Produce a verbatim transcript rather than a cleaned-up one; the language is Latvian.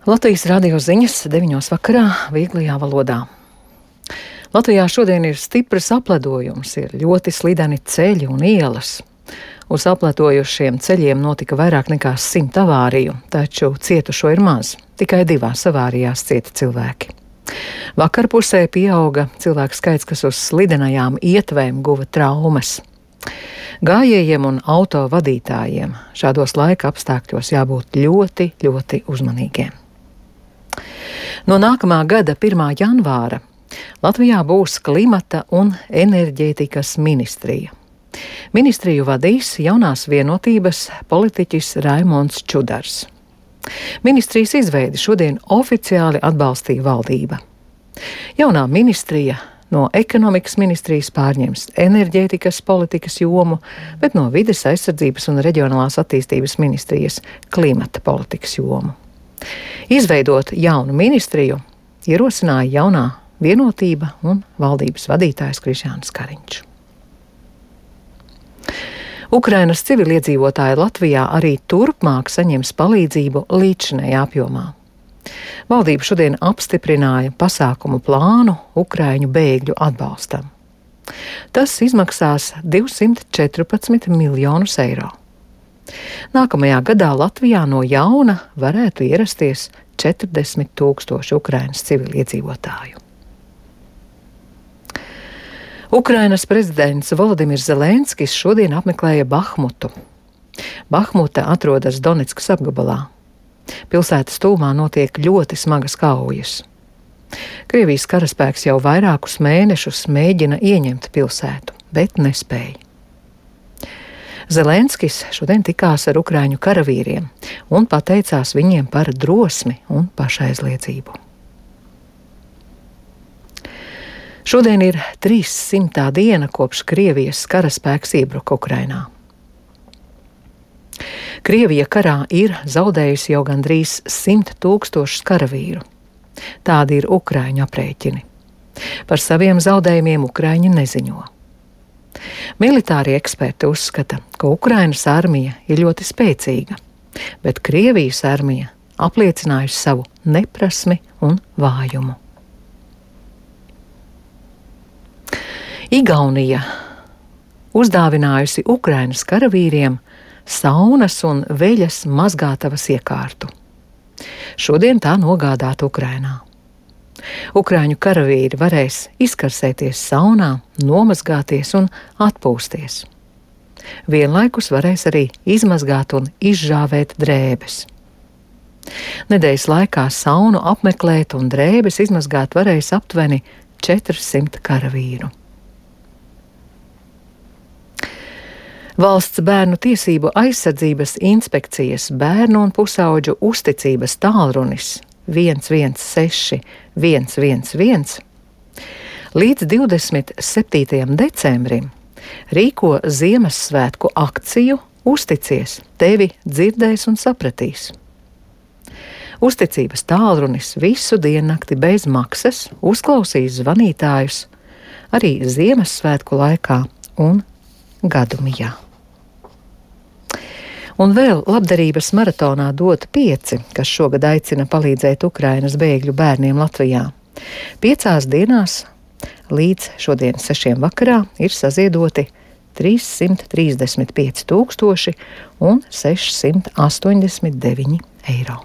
Latvijas radio ziņas deviņos vakarā vieglajā valodā. Latvijā šodien ir stiprs apledojums, ir ļoti slideni ceļi un ielas. Uz apledojušiem ceļiem notika vairāk nekā simt avāriju, taču cietušo ir maz. Tikai divās avārijās cieta cilvēki. Vakarpusē pieauga cilvēku skaits, kas uz slidenajām ietvēm guva traumas. Gājējiem un auto vadītājiem šādos laika apstākļos jābūt ļoti, ļoti uzmanīgiem. No nākamā gada pirmā janvāra Latvijā būs klimata un enerģētikas ministrija. Ministriju vadīs jaunās vienotības politiķis Raimonds Čudars. Ministrijas izveidi šodien oficiāli atbalstīja valdība. Jaunā ministrija no ekonomikas ministrijas pārņems enerģētikas politikas jomu, bet no vides aizsardzības un reģionālās attīstības ministrijas klimata politikas jomu. Izveidot jaunu ministriju ierosināja jaunā vienotība un valdības vadītājs Krišjānis Kariņš. Ukrainas civiliedzīvotāji Latvijā arī turpmāk saņems palīdzību līdzinējā apjomā. Valdība šodien apstiprināja pasākumu plānu Ukraiņu bēgļu atbalstam. Tas izmaksās divsimt četrpadsmit miljonus eiro. Nākamajā gadā Latvijā no jauna varētu ierasties četrdesmit tūkstoši Ukrainas civiliedzīvotāju. Ukrainas prezidents Volodimirs Zelenskis šodien apmeklēja Bahmutu. Bahmuta atrodas Doneckas apgabalā. Pilsētas tūmā notiek ļoti smagas kaujas. Krievijas karaspēks jau vairākus mēnešus mēģina ieņemt pilsētu, bet nespēja. Zelenskis šodien tikās ar ukraiņu karavīriem un pateicās viņiem par drosmi un pašaizliedzību. Šodien ir trīssimtā diena, kopš Krievijas karaspēks iebruka Ukrainā. Krievija karā ir zaudējusi jau gandrīz simt tūkstošus karavīru. Tādi ir ukraiņu aprēķini. Par saviem zaudējumiem ukraiņi neziņo. Militārie eksperti uzskata, ka Ukrainas armija ir ļoti spēcīga, bet Krievijas armija apliecinājusi savu neprasmi un vājumu. Igaunija uzdāvinājusi Ukrainas karavīriem saunas un veļas mazgātavas iekārtu. Šodien tā nogādāta Ukrainā. Ukraiņu karavīri varēs izkarsēties saunā, nomazgāties un atpūsties. Vienlaikus varēs arī izmazgāt un izžāvēt drēbes. Nedēļas laikā saunu apmeklēt un drēbes izmazgāt varēs aptuveni četrsimt karavīru. Valsts bērnu tiesību aizsardzības inspekcijas bērnu un pusauģu uzticības tālrunis viens viens seši viens viens viens līdz divdesmit septītajam decembrim rīko Ziemassvētku akciju Uzticies, tevi dzirdēs un sapratīs. Uzticības tālrunis visu diennakti bez maksas uzklausīs zvanītājus arī Ziemassvētku laikā un gadumijā. Un vēl labdarības maratonā Dot pieci, kas šogad aicina palīdzēt Ukrainas bēgļu bērniem Latvijā. Piecās dienās līdz šodien sešiem vakarā ir saziedoti trīssimt trīsdesmit pieci tūkstoši un sešsimt astoņdesmit deviņi eiro.